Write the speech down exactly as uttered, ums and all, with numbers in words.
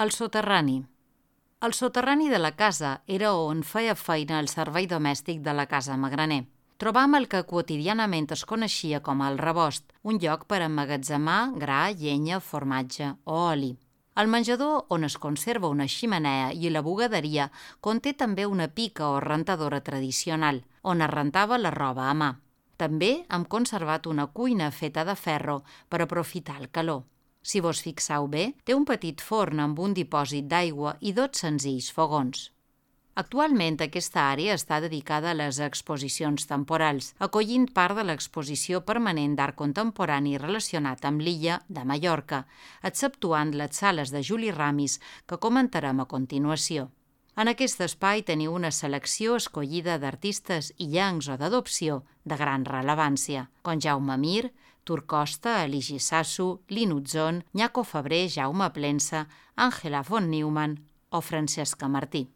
El soterrani. El soterrani de la casa era on feia feina el servei domèstic de la casa Magraner. Trobam el que quotidianament es coneixia com el rebost, un lloc per emmagatzemar gra, llenya, formatge o oli. El menjador, on es conserva una xemeneia, i la bugaderia conté també una pica o rentadora tradicional, on es rentava la roba a mà. També hem conservat una cuina feta de ferro per aprofitar el calor. Si vos fixeu bé, té un petit forn amb un dipòsit d'aigua i dos senzills fogons. Actualment aquesta àrea està dedicada a les exposicions temporals, acollint part de l'exposició permanent d'art contemporani relacionat amb l'illa de Mallorca, exceptuant les sales de Juli Ramis que comentarem a continuació. En aquest espai teniu una selecció escollida d'artistes illencs o d'adopció de gran rellevància, com Jaume Mir, Tur Costa, Eligi Sassu, Linutzon, Nyaco Febrer, Jaume Plensa, Àngela von Neumann o Francesca Martí.